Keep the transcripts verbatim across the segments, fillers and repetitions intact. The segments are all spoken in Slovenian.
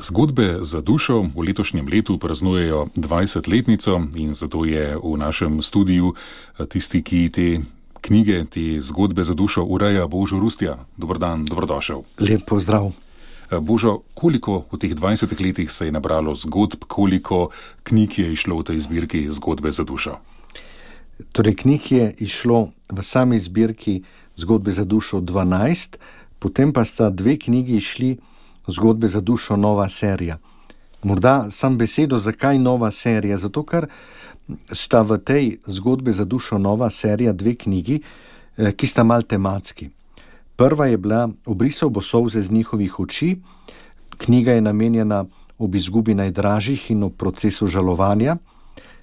Zgodbe za dušo v letošnjem letu praznujejo dvajsetletnico in zato je v našem studiu tisti, ki te knjige, te zgodbe za dušo ureja, Božo Rustja. Dober dan, dobrodošel. Lep pozdrav. Božo, koliko v teh dvajsetih letih se je nabralo zgodb, koliko knjig je išlo v tej zbirki Zgodbe za dušo? Torej, knjig je išlo v sami zbirki Zgodbe za dušo dvanajst, potem pa sta dve knjigi išli Zgodbe za dušo nova serija. Morda sam besedo, zakaj nova serija? Zato, ker sta v tej Zgodbe za dušo nova serija dve knjigi, ki sta mal tematski. Prva je bila Obrisal bo solze z njihovih oči. Knjiga je namenjena ob izgubi najdražjih in ob procesu žalovanja.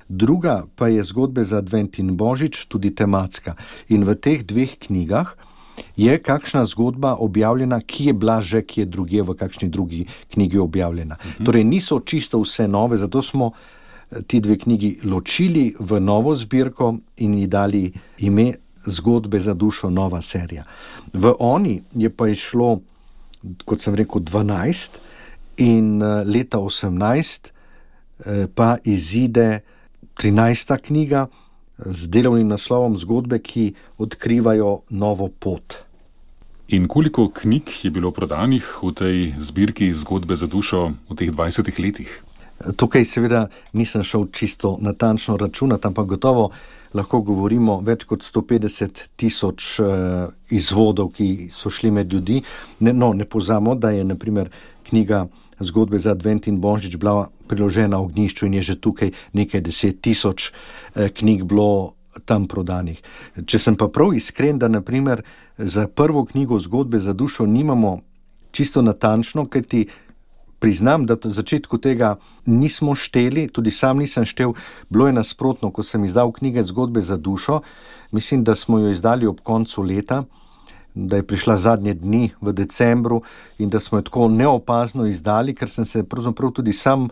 Druga pa je Zgodbe za advent in božič, tudi tematska. In v teh dveh knjigah je kakšna zgodba objavljena, ki je bila že kje drugje v kakšni drugi knjigi objavljena. Mhm. Torej niso čisto vse nove, zato smo ti dve knjigi ločili v novo zbirko in ji dali ime Zgodbe za dušo nova serija. V oni je pa išlo, kot sem rekel, dvanajst in leta osemnajst pa izide trinajsta knjiga z delovnim naslovom Zgodbe, ki odkrivajo novo pot. In koliko knjig je bilo prodanih v tej zbirki Zgodbe za dušo v teh dvajsetih letih? Tukaj seveda nisem šel čisto natančno računati, ampak gotovo lahko govorimo več kot sto petdeset tisoč uh, izvodov, ki so šli med ljudi. Ne, no, ne pozamo, da je na primer knjiga Zgodbe za advent in božič bila priložena ognjišču in je že tukaj nekaj deset tisoč uh, knjig bilo tam prodanih. Če sem pa prav iskren, da na primer za prvo knjigo Zgodbe za dušo nimamo čisto natančno, ker ti priznam, da v začetku tega nismo šteli, tudi sam nisem štel, bilo je nasprotno, ko sem izdal knjige Zgodbe za dušo, mislim, da smo jo izdali ob koncu leta, da je prišla zadnje dni v decembru in da smo jo tako neopazno izdali, ker sem se pravzaprav tudi sam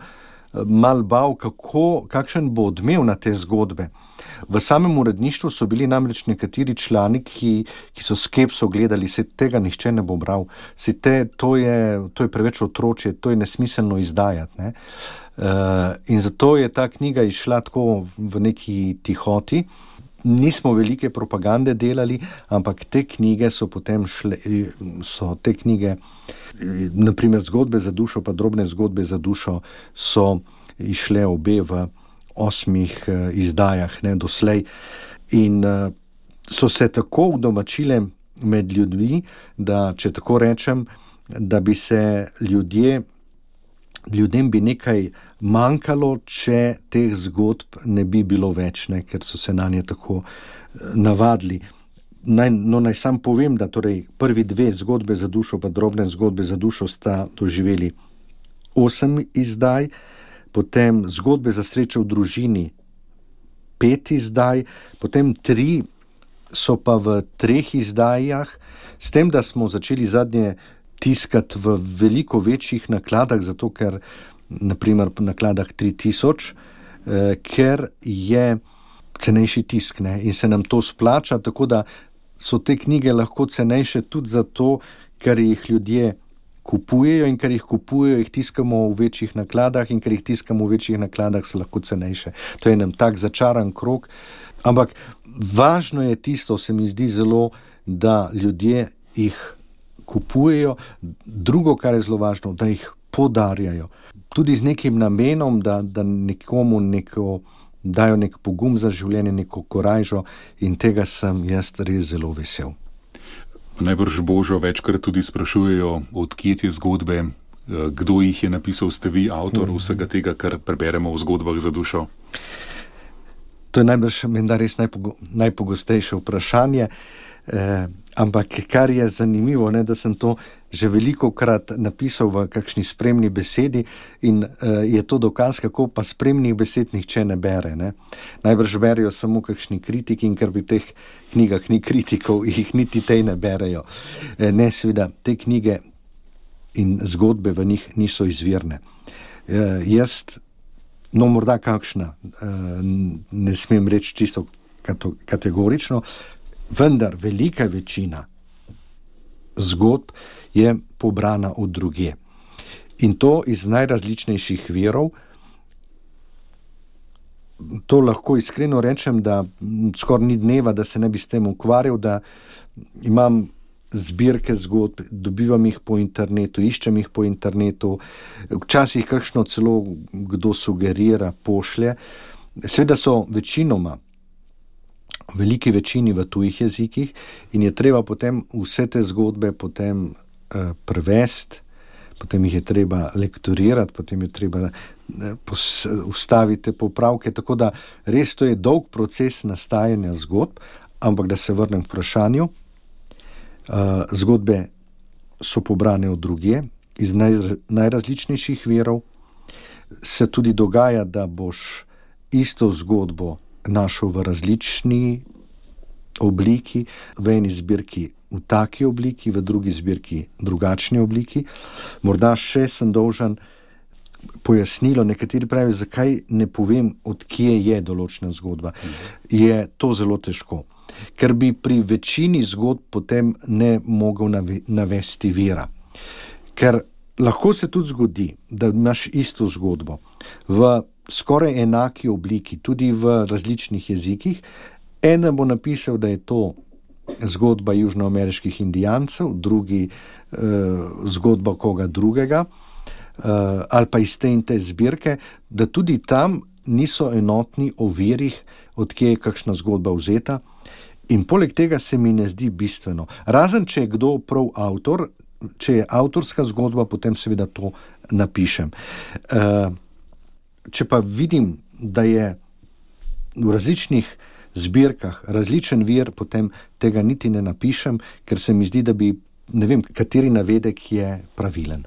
mal bal, kako, kakšen bo odmev na te zgodbe. V samem uredništvu so bili namreč nekateri člani, ki, ki so skepso gledali, se tega nihče ne bo bral, se te, to, je, to je preveč otročje, to je nesmiselno izdajati. Ne? Uh, in zato je ta knjiga išla tako v neki tihoti. Nismo velike propagande delali, ampak te knjige so potem šle, so te knjige, naprimer Zgodbe za dušo, pa Drobne zgodbe za dušo, so išle obe v osmih uh, izdajah, ne, doslej. In uh, so se tako udomačile med ljudmi, da, če tako rečem, da bi se ljudje, ljudem bi nekaj manjkalo, če teh zgodb ne bi bilo več, ne, ker so se na nje tako navadili. Naj, no, naj sam povem, da torej prvi dve Zgodbe za dušo pa Drobne zgodbe za dušo sta doživeli osem izdaj, potem Zgodbe za srečo v družini pet izdaj, potem tri so pa v treh izdajah, s tem, da smo začeli zadnje tiskati v veliko večjih nakladah, zato ker naprimer po nakladah tri tisoč, eh, ker je cenejši tisk, ne, in se nam to splača, tako da so te knjige lahko cenejše tudi zato, ker jih ljudje kupujejo in ker jih kupujejo, jih tiskamo v večjih nakladah in ker jih tiskamo v večjih nakladah, so lahko cenejše. To je nam tak začaran krog, ampak važno je tisto, se mi zdi zelo, da ljudje jih kupujejo, drugo, kar je zelo važno, da jih podarjajo. Tudi z nekim namenom, da, da nekomu neko, dajo nek pogum za življenje, neko korajžo, in tega sem jaz res zelo vesel. Najbrž Božo večkrat tudi sprašujejo, odkje te zgodbe, kdo jih je napisal, ste vi avtor vsega tega, kar preberemo v Zgodbah za dušo? To je najbrž menda res najpogo, najpogostejše vprašanje. Eh, ampak kar je zanimivo, ne, da sem to že velikokrat napisal v kakšni spremni besedi in eh, je to dokaz, kako pa spremnih besed nihče ne bere. Ne. Najbrž berijo samo kakšni kritiki in ker pri teh knjigah ni kritikov, jih niti tej ne berejo. Eh, ne, seveda, te knjige in zgodbe v njih niso izvirne. Eh, jaz, no morda kakšna, eh, ne smem reči čisto kategorično, vendar velika večina zgodb je pobrana od drugje. In to iz najrazličnejših virov. To lahko iskreno rečem, da skoraj ni dneva, da se ne bi s tem ukvarjal, da imam zbirke zgodb, dobivam jih po internetu, iščem jih po internetu, včasih kakšno celo kdo sugerira, pošlje. Seveda so večinoma, v veliki večini v tujih jezikih in je treba potem vse te zgodbe potem eh, prevesti, potem jih je treba lektorirati, potem je treba ustaviti popravke, tako da res to je dolg proces nastajanja zgodb, ampak da se vrnem k vprašanju, uh, zgodbe so pobrane od drugje, iz naj, najrazličnejših virov, se tudi dogaja, da boš isto zgodbo našel v različni obliki, v eni zbirki v taki obliki, v drugi zbirki drugačni obliki. Morda še sem dolžan pojasnilo, nekateri pravijo, zakaj ne povem, od kje je določena zgodba. Je to zelo težko, ker bi pri večini zgodb potem ne mogel navesti vira. Ker lahko se tudi zgodi, da imaš isto zgodbo v skoraj enaki obliki, tudi v različnih jezikih. Ena bo napisal, da je to zgodba južnoameriških indijancev, drugi eh, zgodba koga drugega, eh, ali pa iz te in te zbirke, da tudi tam niso enotni o virih, odkje je kakšna zgodba vzeta. In poleg tega se mi ne zdi bistveno. Razen, če je kdo prav avtor, če je avtorska zgodba, potem seveda to napišem. Eh, če pa vidim, da je v različnih zbirkah različen vir, potem tega niti ne napišem, ker se mi zdi, da bi, ne vem, kateri navedek je pravilen.